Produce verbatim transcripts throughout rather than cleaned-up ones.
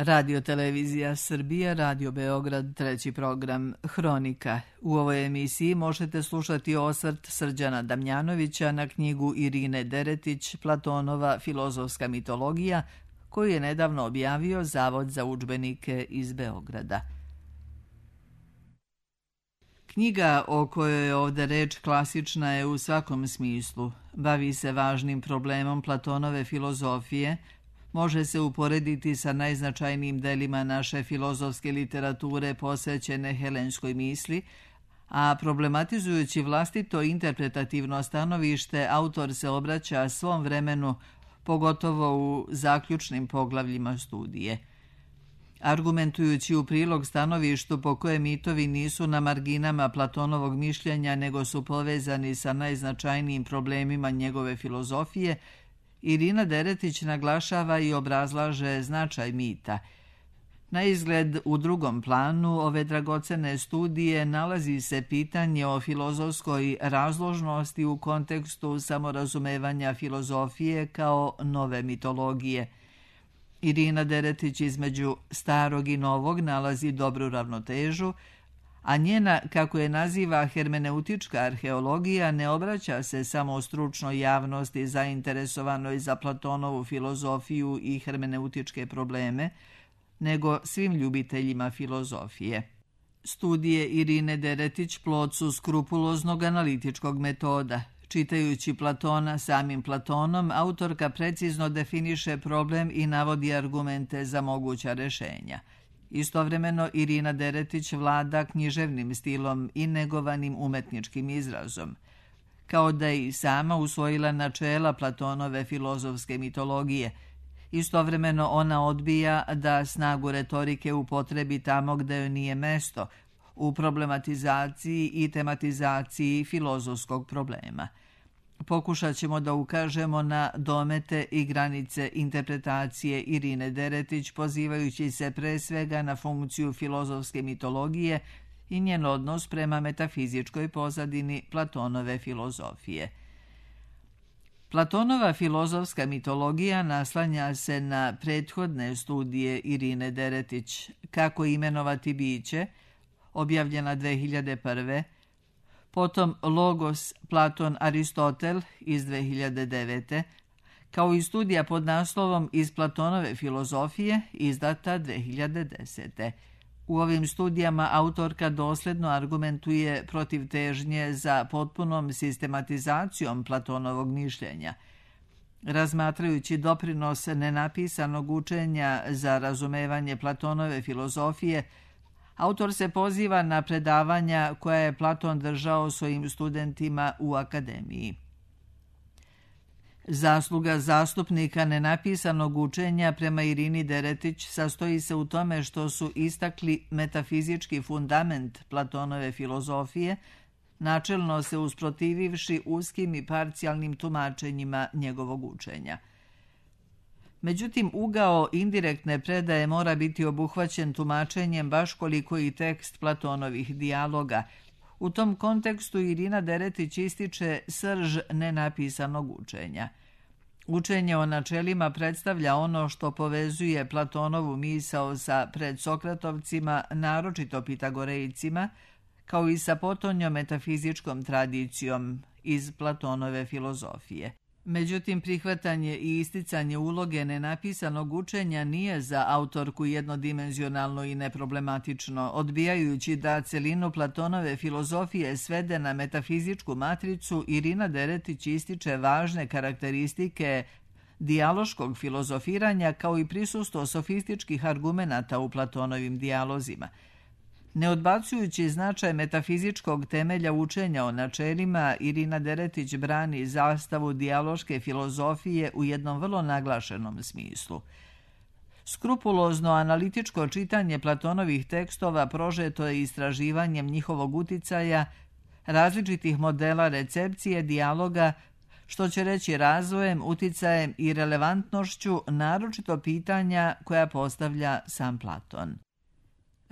Radio Televizija Srbija, Radio Beograd, treći program Hronika. U ovoj emisiji možete slušati osvrt Srđana Damjanovića na knjigu Irine Deretić Platonova filozofska mitologija, koju je nedavno objavio Zavod za udžbenike iz Beograda. Knjiga o kojoj je ovde reč klasična je u svakom smislu. Bavi se važnim problemom Platonove filozofije, može se uporediti sa najznačajnijim delima naše filozofske literature posvećene helenskoj misli, a problematizujući vlastito interpretativno stanovište, autor se obraća svom vremenu, pogotovo u zaključnim poglavljima studije. Argumentujući u prilog stanovištu po koje mitovi nisu na marginama Platonovog mišljenja, nego su povezani sa najznačajnijim problemima njegove filozofije, Irina Deretić naglašava i obrazlaže značaj mita. Na izgled u drugom planu ove dragocene studije nalazi se pitanje o filozofskoj razložnosti u kontekstu samorazumevanja filozofije kao nove mitologije. Irina Deretić između starog i novog nalazi dobru ravnotežu, a njena, kako je naziva hermeneutička arheologija, ne obraća se samo stručnoj javnosti zainteresovanoj za Platonovu filozofiju i hermeneutičke probleme, nego svim ljubiteljima filozofije. Studije Irine Deretić plod su skrupuloznog analitičkog metoda. Čitajući Platona samim Platonom, autorka precizno definiše problem i navodi argumente za moguća rešenja. Istovremeno, Irina Deretić vlada književnim stilom i negovanim umetničkim izrazom. Kao da je i sama usvojila načela Platonove filozofske mitologije, istovremeno ona odbija da snagu retorike upotrebi tamo gde joj nije mesto, u problematizaciji i tematizaciji filozofskog problema. Pokušat ćemo da ukažemo na domete i granice interpretacije Irine Deretić, pozivajući se pre svega na funkciju filozofske mitologije i njen odnos prema metafizičkoj pozadini Platonove filozofije. Platonova filozofska mitologija naslanja se na prethodne studije Irine Deretić, Kako imenovati biće, objavljena dve hiljade prve, potom Logos Platon Aristotel iz dve hiljade devete, kao i studija pod naslovom Iz Platonove filozofije, izdata dve hiljade desete. U ovim studijama autorka dosledno argumentuje protiv težnje za potpunom sistematizacijom Platonovog mišljenja. Razmatrajući doprinos nenapisanog učenja za razumevanje Platonove filozofije, autor se poziva na predavanja koja je Platon držao svojim studentima u akademiji. Zasluga zastupnika nenapisanog učenja prema Irini Deretić sastoji se u tome što su istakli metafizički fundament Platonove filozofije, načelno se usprotivivši uskim i parcijalnim tumačenjima njegovog učenja. Međutim, ugao indirektne predaje mora biti obuhvaćen tumačenjem baš koliko i tekst Platonovih dijaloga. U tom kontekstu Irina Deretić ističe srž nenapisanog učenja. Učenje o načelima predstavlja ono što povezuje Platonovu misao sa predsokratovcima, naročito Pitagorejcima, kao i sa potonjom metafizičkom tradicijom iz Platonove filozofije. Međutim, prihvatanje i isticanje uloge nenapisanog učenja nije za autorku jednodimenzionalno i neproblematično, odbijajući da celinu Platonove filozofije svede na metafizičku matricu. Irina Deretić ističe važne karakteristike dijaloškog filozofiranja kao i prisustvo sofističkih argumenata u Platonovim dijalozima. Ne odbacujući značaj metafizičkog temelja učenja o načelima, Irina Deretić brani zastavu dijaloške filozofije u jednom vrlo naglašenom smislu. Skrupulozno analitičko čitanje Platonovih tekstova prožeto je istraživanjem njihovog uticaja, različitih modela recepcije dijaloga, što će reći razvojem, uticajem i relevantnošću, naročito pitanja koja postavlja sam Platon.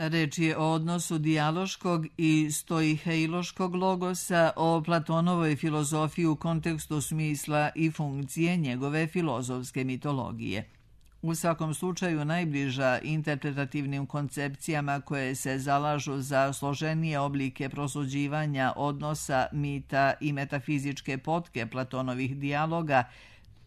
Reč je o odnosu dijaloškog i stoiheiloškog logosa, o Platonovoj filozofiji u kontekstu smisla i funkcije njegove filozofske mitologije. u svakom slučaju najbliža interpretativnim koncepcijama koje se zalažu za složenije oblike prosuđivanja odnosa mita i metafizičke potke Platonovih dijaloga,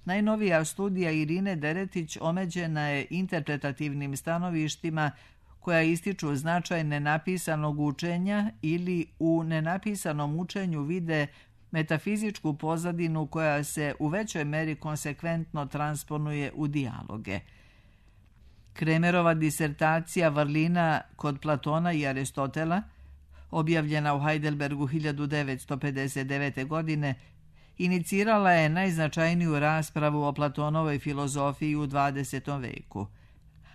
najnovija studija Irine Deretić omeđena je interpretativnim stanovištima koja ističu značaj nenapisanog učenja ili u nenapisanom učenju vide metafizičku pozadinu koja se u većoj meri konsekventno transponuje u dijaloge. Kremerova disertacija Vrlina kod Platona i Aristotela, objavljena u Heidelbergu hiljadu devetsto pedeset devete. godine, inicirala je najznačajniju raspravu o Platonovoj filozofiji u dvadesetom veku.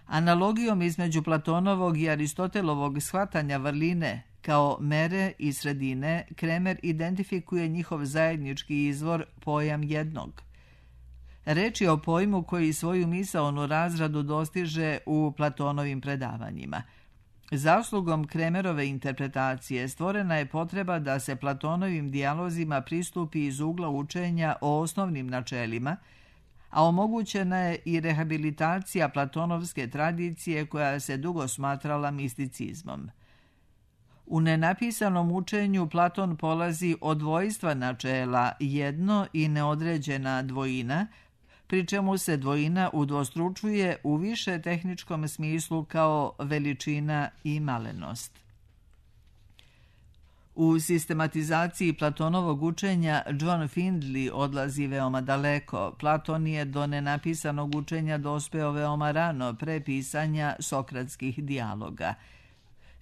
Analogijom između Platonovog i Aristotelovog shvatanja vrline kao mere i sredine, Kremer identifikuje njihov zajednički izvor, pojam jednog. Reč je o pojmu koji svoju misaonu razradu dostiže u Platonovim predavanjima. Zaslugom Kremerove interpretacije stvorena je potreba da se Platonovim dijalozima pristupi iz ugla učenja o osnovnim načelima, a omogućena je i rehabilitacija platonovske tradicije koja se dugo smatrala misticizmom. U nenapisanom učenju Platon polazi od dvojstva načela jedno i neodređena dvojina, pri čemu se dvojina udvostručuje u više tehničkom smislu kao veličina i malenost. U sistematizaciji Platonovog učenja John Findley odlazi veoma daleko. Platon je do nenapisanog učenja dospeo veoma rano pre pisanja sokratskih dijaloga.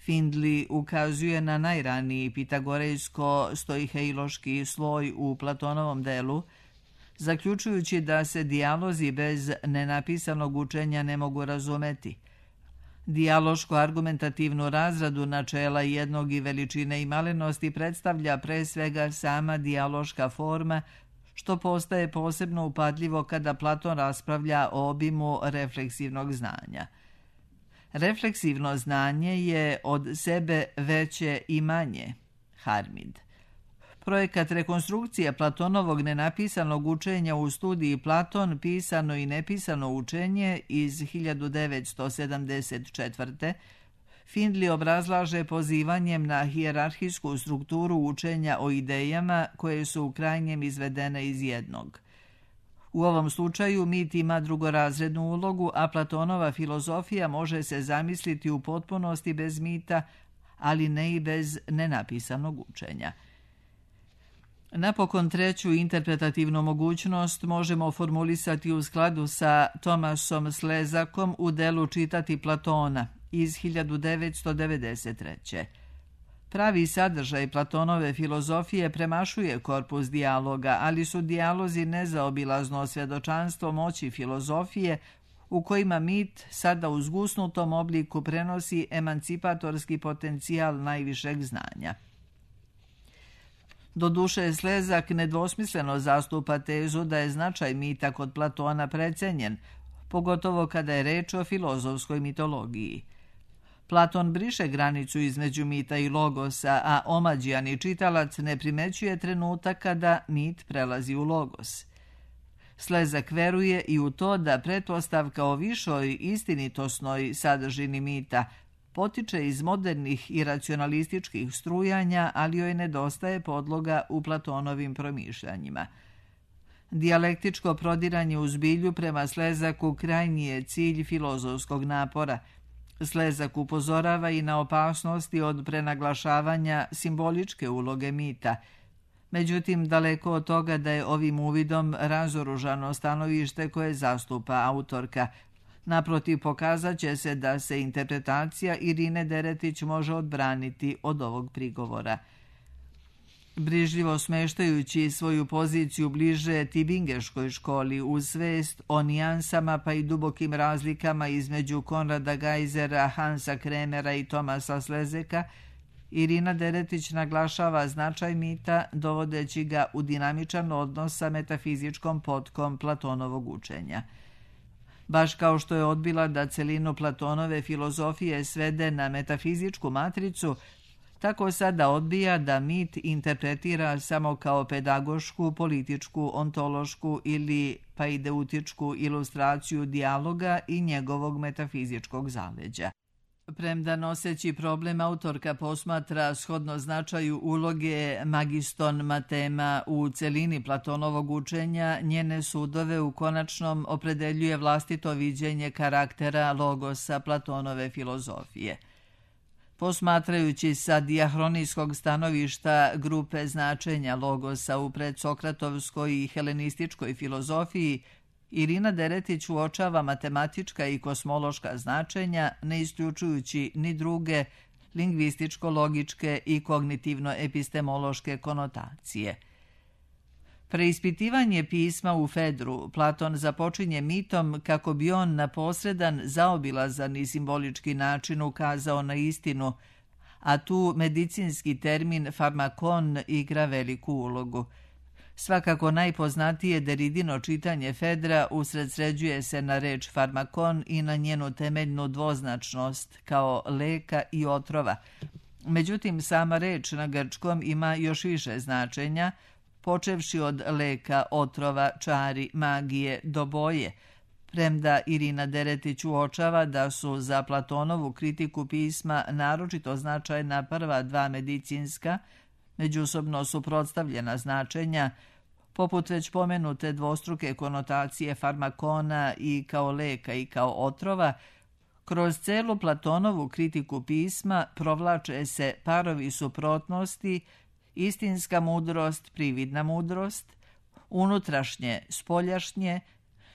Findley ukazuje na najraniji pitagorejsko-stoiheiloški sloj u Platonovom delu, zaključujući da se dijalozi bez nenapisanog učenja ne mogu razumeti. Dijaloško-argumentativnu razradu načela jednog i veličine i malenosti predstavlja pre svega sama dijaloška forma, što postaje posebno upadljivo kada Platon raspravlja o obimu refleksivnog znanja. Refleksivno znanje je od sebe veće i manje, Harmid. Projekat rekonstrukcije Platonovog nenapisanog učenja u studiji Platon, pisano i nepisano učenje iz hiljadu devetsto sedamdeset četvrte. Findley obrazlaže pozivanjem na hijerarhijsku strukturu učenja o idejama koje su u krajnjem izvedene iz jednog. U ovom slučaju mit ima drugorazrednu ulogu, a Platonova filozofija može se zamisliti u potpunosti bez mita, ali ne i bez nenapisanog učenja. Napokon treću interpretativnu mogućnost možemo formulisati u skladu sa Thomasom Slezakom u delu Čitati Platona iz hiljadu devetsto devedeset treće. Pravi sadržaj Platonove filozofije premašuje korpus dijaloga, ali su dijalozi nezaobilazno svjedočanstvo moći filozofije u kojima mit sada u zgusnutom obliku prenosi emancipatorski potencijal najvišeg znanja. Doduše, Slezak nedvosmisleno zastupa tezu da je značaj mita kod Platona precenjen, pogotovo kada je reč o filozofskoj mitologiji. Platon briše granicu između mita i logosa, a omađijani čitalac ne primećuje trenutak kada mit prelazi u logos. Slezak veruje i u to da pretpostavka o višoj istinitosnoj sadržini mita potiče iz modernih i racionalističkih strujanja, ali joj nedostaje podloga u Platonovim promišljanjima. Dijalektičko prodiranje u zbilju prema Slezaku krajnji je cilj filozofskog napora. Slezak upozorava i na opasnosti od prenaglašavanja simboličke uloge mita. Međutim, daleko od toga da je ovim uvidom razoružano stanovište koje zastupa autorka. Naprotiv, pokazat će se da se interpretacija Irine Deretić može odbraniti od ovog prigovora. Brižljivo smeštajući svoju poziciju bliže Tibingeškoj školi uz svest o nijansama pa i dubokim razlikama između Konrada Geisera, Hansa Kremera i Thomasa Slezeka, Irina Deretić naglašava značaj mita dovodeći ga u dinamičan odnos sa metafizičkom potkom Platonovog učenja. Baš kao što je odbila da celinu Platonove filozofije svede na metafizičku matricu, Tako sada odbija da mit interpretira samo kao pedagošku, političku, ontološku ili paideutičku ilustraciju dijaloga i njegovog metafizičkog zaleđa. Premda noseći problem autorka posmatra shodno značaju uloge magiston matema u celini Platonovog učenja, njene sudove u konačnom opredeljuje vlastito viđenje karaktera logosa Platonove filozofije. Posmatrajući sa dijahronijskog stanovišta grupe značenja logosa u predsokratovskoj i helenističkoj filozofiji, Irina Deretić uočava matematička i kosmološka značenja, ne isključujući ni druge lingvističko-logičke i kognitivno-epistemološke konotacije. Preispitivanje pisma u Fedru Platon započinje mitom kako bi on na posredan, zaobilazan i simbolički način ukazao na istinu, a tu medicinski termin farmakon igra veliku ulogu. Svakako najpoznatije Deridino čitanje Fedra usredsređuje se na reč farmakon i na njenu temeljnu dvoznačnost kao leka i otrova. Međutim, sama reč na grčkom ima još više značenja, počevši od leka, otrova, čari, magije do boje, premda Irina Deretić uočava da su za Platonovu kritiku pisma naročito značajna prva dva medicinska, međusobno suprotstavljena značenja, poput već pomenute dvostruke konotacije farmakona i kao leka i kao otrova. Kroz celu Platonovu kritiku pisma provlače se parovi suprotnosti, istinska mudrost, prividna mudrost, unutrašnje, spoljašnje,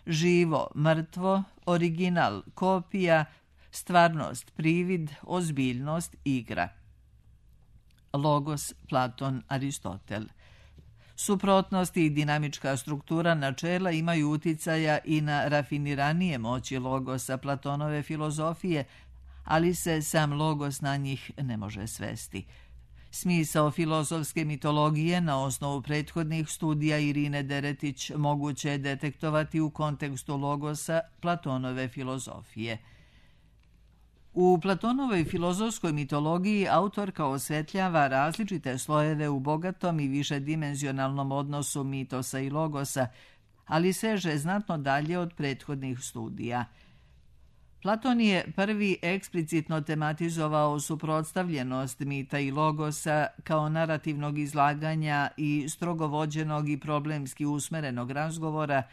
živo, mrtvo, original, kopija, stvarnost, privid, ozbiljnost, igra. Logos, Platon, Aristotel. Suprotnosti i dinamička struktura načela imaju uticaja i na rafiniranije moći logosa Platonove filozofije, ali se sam logos na njih ne može svesti. Smisao filozofske mitologije na osnovu prethodnih studija Irine Deretić moguće je detektovati u kontekstu logosa Platonove filozofije. U Platonovoj filozofskoj mitologiji autorka osvetljava različite slojeve u bogatom i višedimenzionalnom odnosu mitosa i logosa, ali seže znatno dalje od prethodnih studija. Platon je prvi eksplicitno tematizovao suprotstavljenost mita i logosa kao narativnog izlaganja i strogo vođenog i problemski usmerenog razgovora,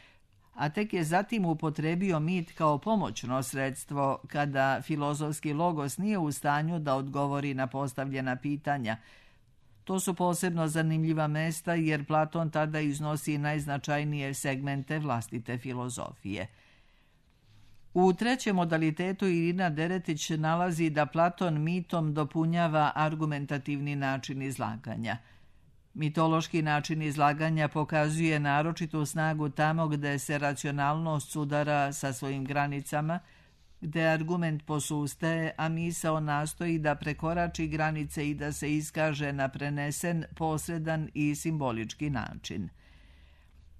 a tek je zatim upotrebio mit kao pomoćno sredstvo kada filozofski logos nije u stanju da odgovori na postavljena pitanja. To su posebno zanimljiva mesta jer Platon tada iznosi najznačajnije segmente vlastite filozofije. U trećem modalitetu Irina Deretić nalazi da Platon mitom dopunjava argumentativni način izlaganja. Mitološki način izlaganja pokazuje naročitu snagu tamo gde se racionalnost sudara sa svojim granicama, gde argument posustaje, a misao nastoji da prekorači granice i da se iskaže na prenesen, posredan i simbolički način.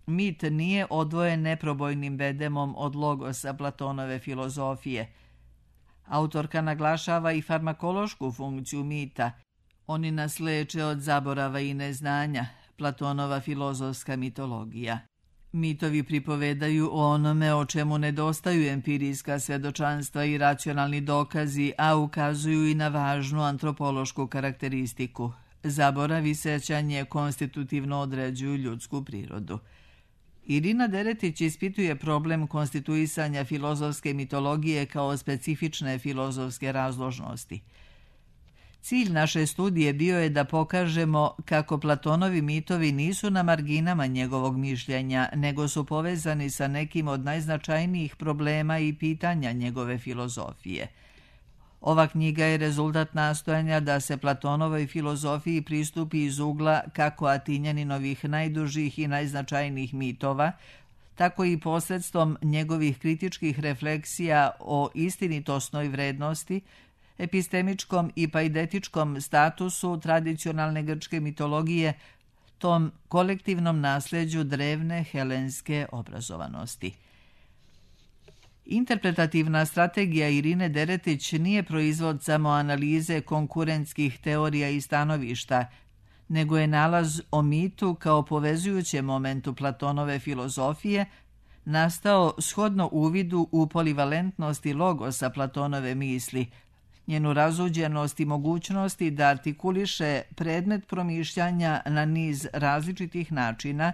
Mit nije odvojen neprobojnim bedemom od logosa Platonove filozofije. Autorka naglašava i farmakološku funkciju mita. Oni nas leče od zaborava i neznanja, Platonova filozofska mitologija. Mitovi pripovedaju o onome o čemu nedostaju empirijska svedočanstva i racionalni dokazi, a ukazuju i na važnu antropološku karakteristiku. Zaborav i sećanje konstitutivno određuju ljudsku prirodu. Irina Deretić ispituje problem konstituisanja filozofske mitologije kao specifične filozofske razložnosti. Cilj naše studije bio je da pokažemo kako Platonovi mitovi nisu na marginama njegovog mišljenja, nego su povezani sa nekim od najznačajnijih problema i pitanja njegove filozofije. Ova knjiga je rezultat nastojanja da se Platonovoj filozofiji pristupi iz ugla kako Atinjaninovih najdužih i najznačajnijih mitova, tako i posredstvom njegovih kritičkih refleksija o istinitosnoj vrednosti, epistemičkom i paidetičkom statusu tradicionalne grčke mitologije, tom kolektivnom nasljeđu drevne helenske obrazovanosti. Interpretativna strategija Irine Deretić nije proizvod samo analize konkurentskih teorija i stanovišta, nego je nalaz o mitu kao povezujućem momentu Platonove filozofije nastao shodno uvidu u polivalentnosti logosa Platonove misli, njenu razuđenost i mogućnosti da artikuliše predmet promišljanja na niz različitih načina,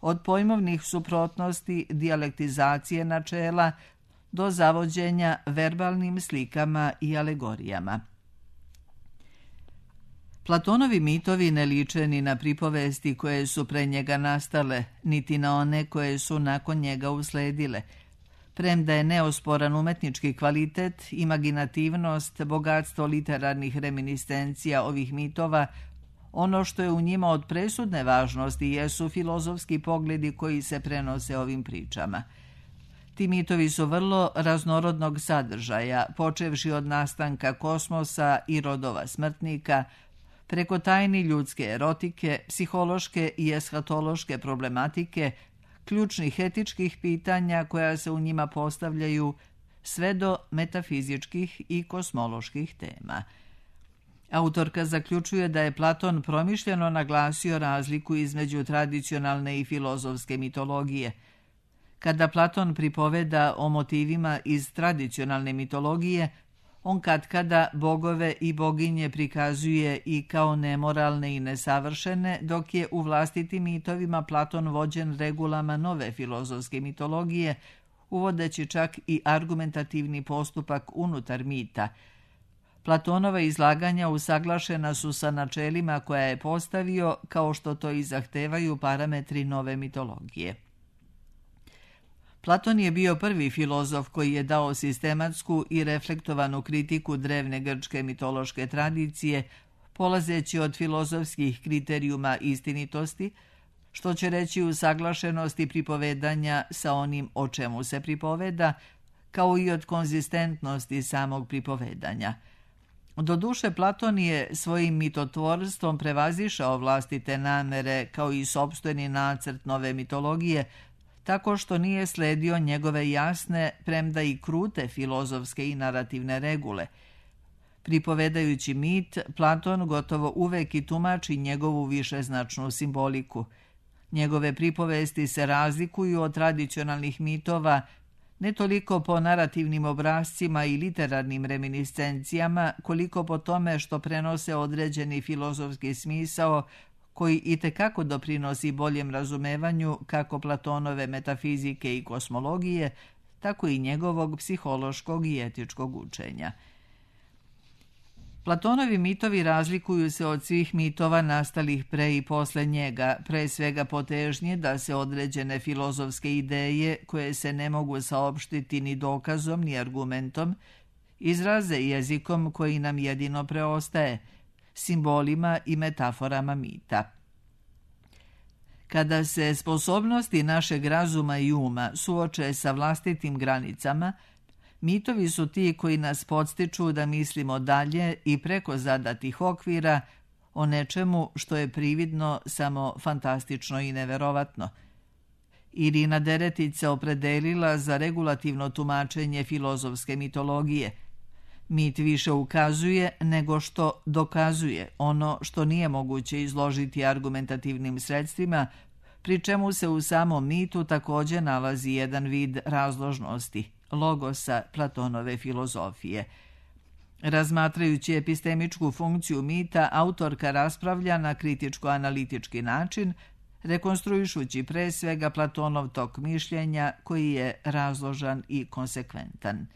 od pojmovnih suprotnosti, dijalektizacije načela do zavođenja verbalnim slikama i alegorijama. Platonovi mitovi ne liče ni na pripovesti koje su pre njega nastale, niti na one koje su nakon njega usledile. Premda je neosporan umetnički kvalitet, imaginativnost, bogatstvo literarnih reminiscencija ovih mitova, ono što je u njima od presudne važnosti jesu filozofski pogledi koji se prenose ovim pričama. Ti mitovi su vrlo raznorodnog sadržaja, počevši od nastanka kosmosa i rodova smrtnika, preko tajni ljudske erotike, psihološke i eshatološke problematike, ključnih etičkih pitanja koja se u njima postavljaju, sve do metafizičkih i kosmoloških tema. Autorka zaključuje da je Platon promišljeno naglasio razliku između tradicionalne i filozofske mitologije. Kada Platon pripoveda o motivima iz tradicionalne mitologije, on katkada bogove i boginje prikazuje i kao nemoralne i nesavršene, dok je u vlastitim mitovima Platon vođen regulama nove filozofske mitologije, uvodeći čak i argumentativni postupak unutar mita. Platonova izlaganja usaglašena su sa načelima koja je postavio, kao što to i zahtevaju parametri nove mitologije. Platon je bio prvi filozof koji je dao sistematsku i reflektovanu kritiku drevne grčke mitološke tradicije, polazeći od filozofskih kriterijuma istinitosti, što će reći usaglašenosti pripovedanja sa onim o čemu se pripoveda, kao i od konzistentnosti samog pripovedanja. Doduše, Platon je svojim mitotvorstvom prevazišao vlastite namere kao i sopstveni nacrt nove mitologije, tako što nije sledio njegove jasne, premda i krute filozofske i narativne regule. Pripovedajući mit, Platon gotovo uvek i tumači njegovu višeznačnu simboliku. Njegove pripovesti se razlikuju od tradicionalnih mitova ne toliko po narativnim obrascima i literarnim reminiscencijama, koliko po tome što prenose određeni filozofski smisao koji itekako doprinosi boljem razumevanju kako Platonove metafizike i kosmologije, tako i njegovog psihološkog i etičkog učenja. Platonovi mitovi razlikuju se od svih mitova nastalih pre i posle njega, pre svega po težnji da se određene filozofske ideje, koje se ne mogu saopštiti ni dokazom ni argumentom, izraze jezikom koji nam jedino preostaje, simbolima i metaforama mita. Kada se sposobnosti našeg razuma i uma suoče sa vlastitim granicama, mitovi su ti koji nas podstiču da mislimo dalje i preko zadatih okvira o nečemu što je prividno samo fantastično i neverovatno. Irina Deretić se opredelila za regulativno tumačenje filozofske mitologije. Mit više ukazuje nego što dokazuje ono što nije moguće izložiti argumentativnim sredstvima, pri čemu se u samom mitu također nalazi jedan vid razložnosti, logosa Platonove filozofije. Razmatrajući epistemičku funkciju mita, autorka raspravlja na kritičko-analitički način, rekonstruišući pre svega Platonov tok mišljenja koji je razložan i konsekventan.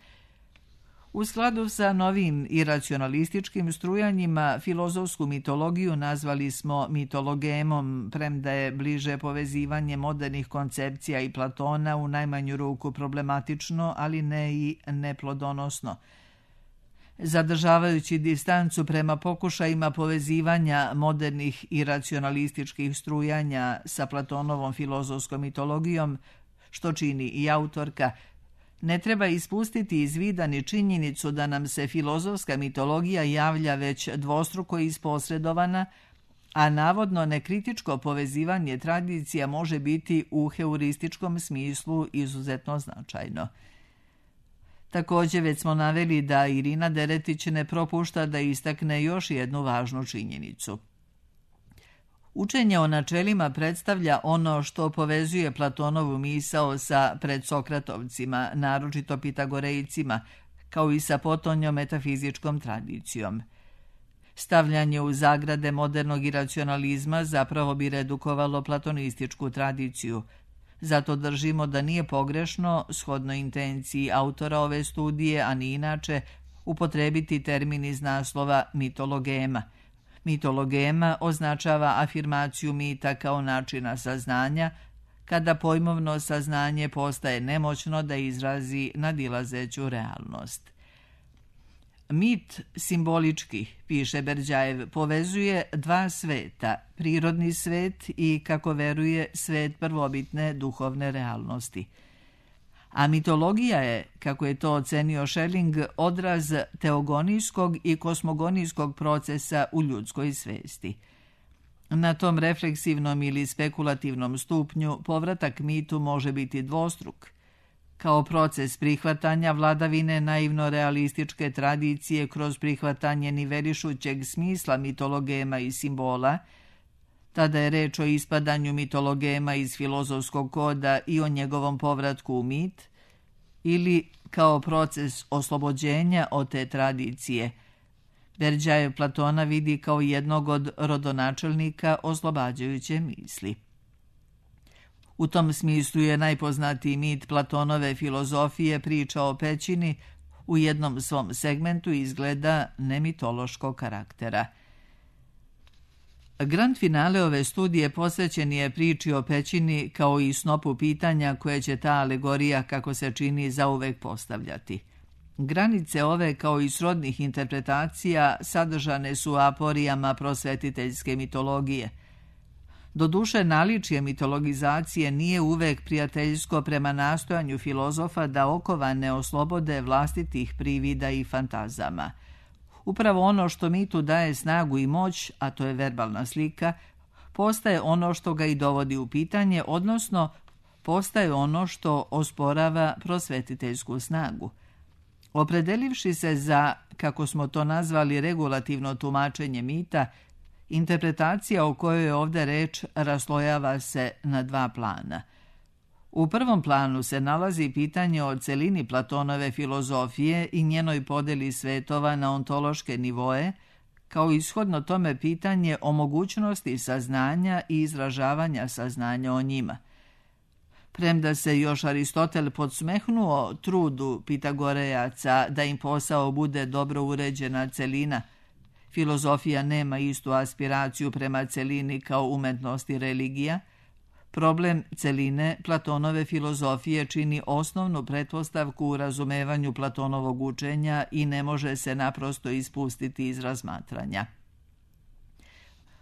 U skladu sa novim iracionalističkim strujanjima, filozofsku mitologiju nazvali smo mitologemom, premda je bliže povezivanje modernih koncepcija i Platona u najmanju ruku problematično, ali ne i neplodonosno. Zadržavajući distancu prema pokušajima povezivanja modernih iracionalističkih strujanja sa Platonovom filozofskom mitologijom, što čini i autorka, ne treba ispustiti iz vida ni činjenicu da nam se filozofska mitologija javlja već dvostruko isposredovana, a navodno nekritičko povezivanje tradicija može biti u heurističkom smislu izuzetno značajno. Također već smo naveli da Irina Deretić ne propušta da istakne još jednu važnu činjenicu. Učenje o načelima predstavlja ono što povezuje Platonovu misao sa predsokratovcima, naročito Pitagorejcima, kao i sa potonjom metafizičkom tradicijom. Stavljanje u zagrade modernog iracionalizma zapravo bi redukovalo platonističku tradiciju. Zato držimo da nije pogrešno, shodno intenciji autora ove studije, a ni inače, upotrebiti termin iz naslova mitologema. Mitologema označava afirmaciju mita kao načina saznanja, kada pojmovno saznanje postaje nemoćno da izrazi nadilazeću realnost. Mit simbolički, piše Berdjajev, povezuje dva sveta, prirodni svet i, kako veruje, svet prvobitne duhovne realnosti. A mitologija je, kako je to ocenio Schelling, odraz teogonijskog i kosmogonijskog procesa u ljudskoj svesti. Na tom refleksivnom ili spekulativnom stupnju povratak mitu može biti dvostruk. Kao proces prihvatanja vladavine naivno-realističke tradicije kroz prihvatanje nivelišućeg smisla mitologema i simbola, tada je reč o ispadanju mitologema iz filozofskog koda i o njegovom povratku u mit, ili kao proces oslobođenja od te tradicije. Berdjajev Platona vidi kao jednog od rodonačelnika oslobađajuće misli. U tom smislu je najpoznatiji mit Platonove filozofije priča o pećini, u jednom svom segmentu izgleda nemitološkog karaktera. Grand finale ove studije posvećen je priči o pećini kao i snopu pitanja koje će ta alegorija, kako se čini, zauvek postavljati. Granice ove, kao i srodnih interpretacija, sadržane su u aporijama prosvetiteljske mitologije. Doduše, naličje mitologizacije nije uvek prijateljsko prema nastojanju filozofa da okovane oslobode vlastitih privida i fantazama. Upravo ono što mitu daje snagu i moć, a to je verbalna slika, postaje ono što ga i dovodi u pitanje, odnosno postaje ono što osporava prosvetiteljsku snagu. Opredelivši se za, kako smo to nazvali, regulativno tumačenje mita, interpretacija o kojoj je ovdje reč raslojava se na dva plana. U prvom planu se nalazi pitanje o celini Platonove filozofije i njenoj podeli svetova na ontološke nivoe, kao ishodno tome pitanje o mogućnosti saznanja i izražavanja saznanja o njima. Premda se još Aristotel podsmehnuo trudu Pitagorejaca da im posao bude dobro uređena celina, filozofija nema istu aspiraciju prema celini kao umetnost i religija, problem celine Platonove filozofije čini osnovnu pretpostavku u razumevanju Platonovog učenja i ne može se naprosto ispustiti iz razmatranja.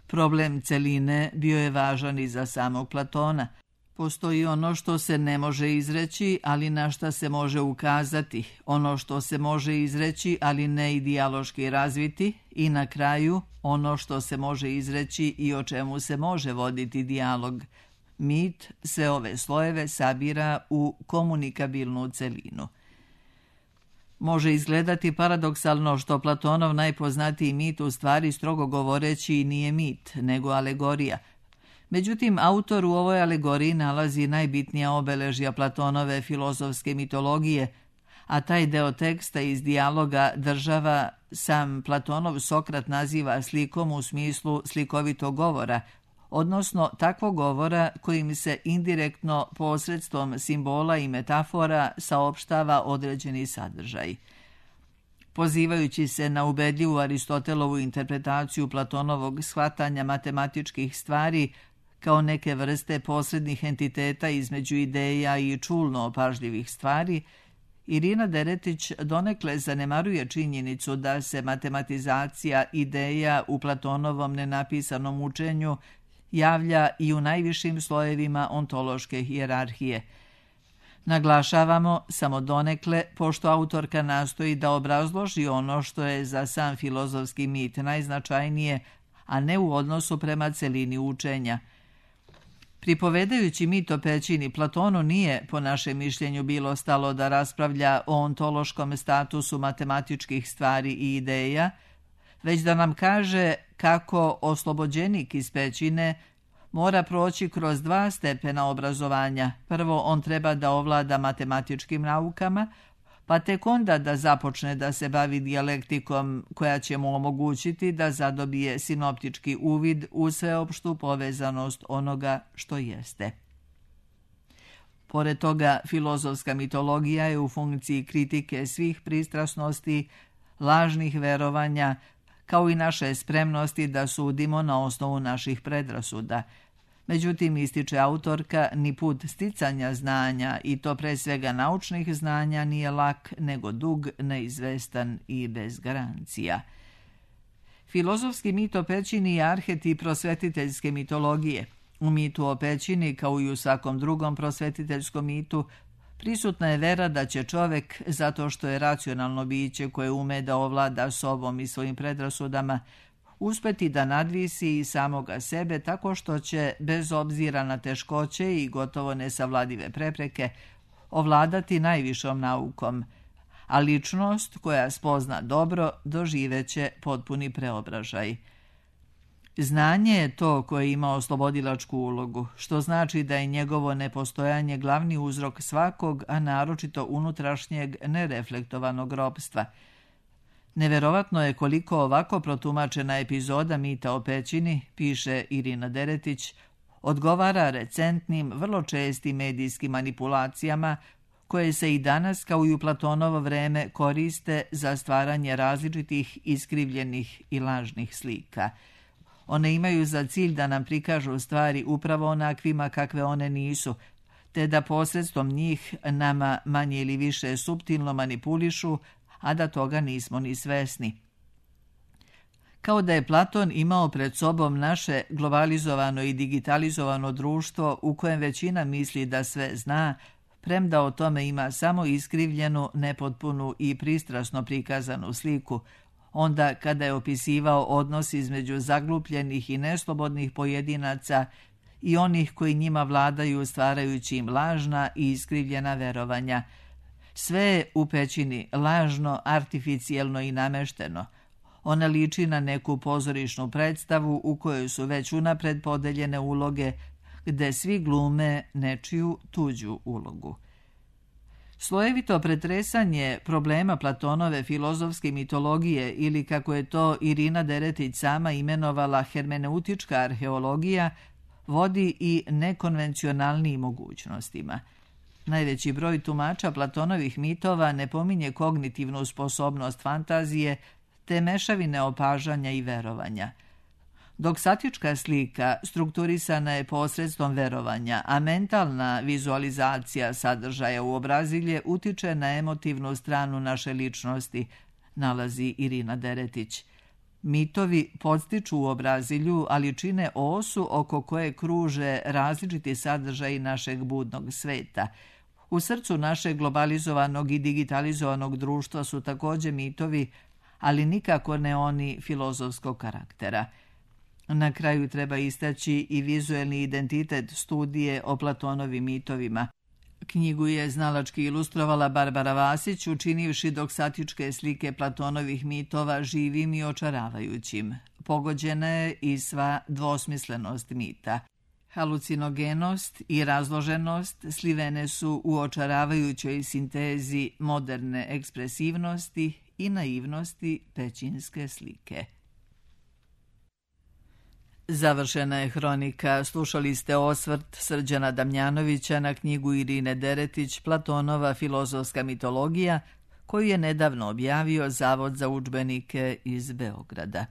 Problem celine bio je važan i za samog Platona. Postoji ono što se ne može izreći, ali na šta se može ukazati, ono što se može izreći, ali ne i dijaloški razviti, i na kraju ono što se može izreći i o čemu se može voditi dijalog. Mit sve ove slojeve sabira u komunikabilnu celinu. Može izgledati paradoksalno što Platonov najpoznatiji mit u stvari, strogo govoreći, nije mit, nego alegorija. Međutim, autor u ovoj alegoriji nalazi najbitnija obeležja Platonove filozofske mitologije, a taj deo teksta iz dijaloga država sam Platonov Sokrat naziva slikom u smislu slikovitog govora, odnosno takvog govora kojim se indirektno posredstvom simbola i metafora saopštava određeni sadržaj. Pozivajući se na ubedljivu Aristotelovu interpretaciju Platonovog shvatanja matematičkih stvari kao neke vrste posrednih entiteta između ideja i čulno opažljivih stvari, Irina Deretić donekle zanemaruje činjenicu da se matematizacija ideja u Platonovom nenapisanom učenju javlja i u najvišim slojevima ontološke hijerarhije. Naglašavamo samo donekle, pošto autorka nastoji da obrazloži ono što je za sam filozofski mit najznačajnije, a ne u odnosu prema celini učenja. Pripovedajući mit o pećini, Platonu nije, po našem mišljenju, bilo stalo da raspravlja o ontološkom statusu matematičkih stvari i ideja, već da nam kaže kako oslobođenik iz pećine mora proći kroz dva stepena obrazovanja. Prvo, on treba da ovlada matematičkim naukama, pa tek onda da započne da se bavi dijalektikom koja će mu omogućiti da zadobije sinoptički uvid u sveopštu povezanost onoga što jeste. Pored toga, filozofska mitologija je u funkciji kritike svih pristrasnosti, lažnih verovanja, kao i naše spremnosti da sudimo na osnovu naših predrasuda. Međutim, ističe autorka, ni put sticanja znanja, i to pre svega naučnih znanja, nije lak, nego dug, neizvestan i bez garancija. Filozofski mit o pećini je arhetip prosvetiteljske mitologije. U mitu o pećini, kao i u svakom drugom prosvetiteljskom mitu, prisutna je vera da će čovek, zato što je racionalno biće koje ume da ovlada sobom i svojim predrasudama, uspeti da nadvisi i samoga sebe tako što će, bez obzira na teškoće i gotovo nesavladive prepreke, ovladati najvišom naukom, a ličnost koja spozna dobro doživeće potpuni preobražaj. Znanje je to koje ima oslobodilačku ulogu, što znači da je njegovo nepostojanje glavni uzrok svakog, a naročito unutrašnjeg nereflektovanog ropstva. Neverovatno je koliko ovako protumačena epizoda mita o pećini, piše Irina Deretić, odgovara recentnim, vrlo čestim medijskim manipulacijama koje se i danas, kao i u Platonovo vreme, koriste za stvaranje različitih iskrivljenih i lažnih slika. One imaju za cilj da nam prikažu stvari upravo onakvima kakve one nisu, te da posredstvom njih nama manje ili više suptilno manipulišu, a da toga nismo ni svesni. Kao da je Platon imao pred sobom naše globalizovano i digitalizovano društvo u kojem većina misli da sve zna, premda o tome ima samo iskrivljenu, nepotpunu i pristrasno prikazanu sliku, onda kada je opisivao odnos između zaglupljenih i neslobodnih pojedinaca i onih koji njima vladaju stvarajući im lažna i iskrivljena verovanja. Sve je u pećini lažno, artificijelno i namešteno. Ona liči na neku pozorišnu predstavu u kojoj su već unapred podeljene uloge, gde svi glume nečiju tuđu ulogu. Slojevito pretresanje problema Platonove filozofske mitologije, ili kako je to Irina Deretić sama imenovala hermeneutička arheologija, vodi i nekonvencionalnijim mogućnostima. Najveći broj tumača Platonovih mitova ne pominje kognitivnu sposobnost fantazije, te mešavine opažanja i verovanja. Doksatička slika strukturisana je posredstvom verovanja, a mentalna vizualizacija sadržaja u obrazilje utiče na emotivnu stranu naše ličnosti, nalazi Irina Deretić. Mitovi podstiču u obrazilju, ali čine osu oko koje kruže različiti sadržaji našeg budnog sveta. U srcu našeg globalizovanog i digitalizovanog društva su također mitovi, ali nikako ne oni filozofskog karaktera. Na kraju treba istaći i vizuelni identitet studije o Platonovim mitovima. Knjigu je znalački ilustrovala Barbara Vasić, učinivši doksatičke slike Platonovih mitova živim i očaravajućim. Pogođena je i sva dvosmislenost mita. Halucinogenost i razloženost slivene su u očaravajućoj sintezi moderne ekspresivnosti i naivnosti pećinske slike. Završena je hronika. Slušali ste osvrt Srđana Damjanovića na knjigu Irine Deretić Platonova filozofska mitologija, koju je nedavno objavio Zavod za udžbenike iz Beograda.